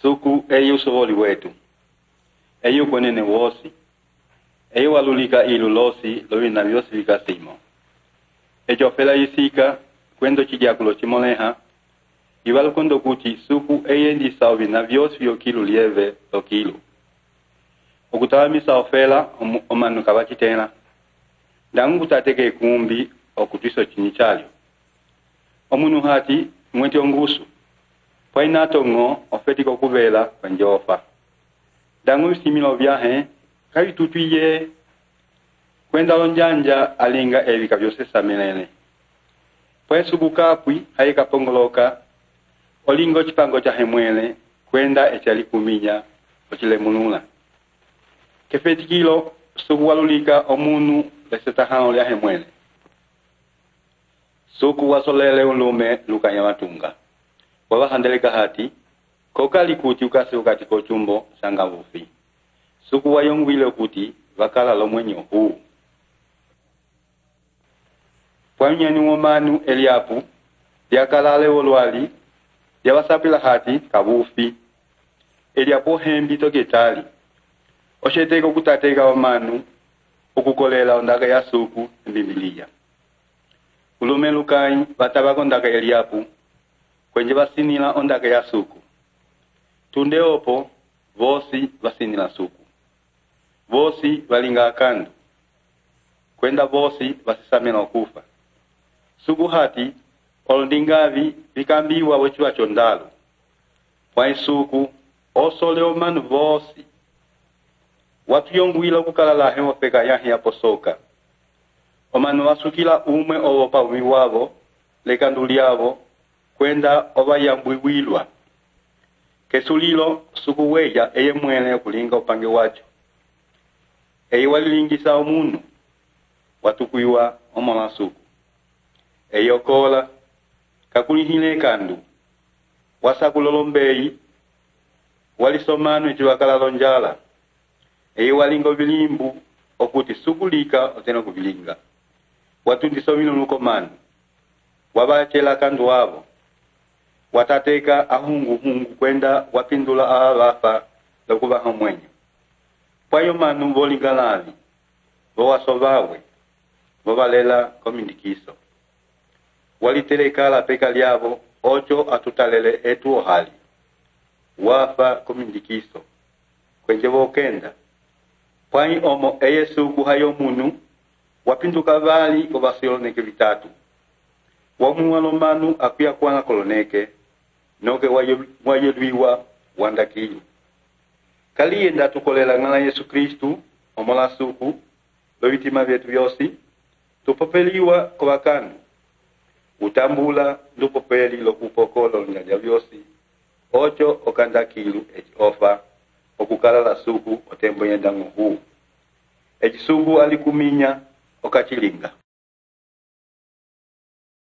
Suku eyi usovoli wetu. Eyi ukonene wosi. Eyi walulika ilu losi lovina vyosi vikasimo. Ejo fela yisika kwendo chijakulo chimoleha. Iwalukondo kuti suku eyi endisa ovina vyosi vyokilu lieve lokilu. Okutawamisa ofela omanu kabachitena. Dangu kutateke kumbi okutwiso chinichalyo. Omunu hati mweti ongusu. Painato ngo ofetiko kuvela kwenjofa. Dangu similo vyahe kawi tutuye kwenda lonjanja alinga evika vyose samelele. Pwesuku kapwi haika pongoloka olingo chipango cha hemwele kwenda echali kuminya ochile munula. Kefetikilo suku walulika omunu lesetahano lya hemwele. Suku wasolele ulume lukanya matunga. Wawahandeleka hati, kokali kuti ukasi ukati kochumbo sanga vufi. Suku wayongwile kuti wakala lomwenyo huu. Pwanyani womanu eliapu, yakalale wolwali, yawasapila hati kavufi. Eliapo hembi toketali. Osheteko kutateka womanu, ukukolela ondaka ya suku mbibilia. Ulume lukai batabako ondaka eliapu, kwenye basinila ondaka ya suku. Tunde opo, vosi basinila suku. Vosi balinga akandu. Kwenda vosi basisamela okufa. Suku hati, olundingavi vikambiwa wechiwa chondalo. Pwai suku, osole omanu vosi. Watu yongwila kukalalahe wapeka yahi aposoka. Omanu wasukila umwe owopa umiwavo, lekanduliavo, kwenda oba yambwiwilwa. Kesulilo suku weja eye mwene kulinga upange wacho. Eye walilingisa omunu, watukuiwa omala suku. Eye okola, kakulihile kandu, wasakulolombei, walisomanu ichiwakala lonjala. Eye walingo vilimbu, okuti suku lika oteno kuvilinga. Watundisomilo nukomanu, wabachela kandu wavo. Watateka ahungu kwenda wapindula awafa lokuba hamwenyo. Pwayo manu volingalavi, vowasovawe, vovalela komindikiso. Walitelekala peka liavo, ocho atutalele etu ohali. Wafa komindikiso. Kwenye vokenda. Pwai omo eye suku hayo munu, wapinduka vali kovasiloneke vitatu. Wamuwalo manu akuya kuwana koloneke, noke wayelwiwa wandakilu. Kalienda tukolela ngala Yesu Kristu, omola suku, lovitima vyetu vyosi, tupopeliwa kwa kandu. Utambula lupopeli lokupokolo nyanja vyosi, ocho okandakilu echi ofa, okukala la suku otembo yendangu huu. Echi suku alikuminya okachilinga.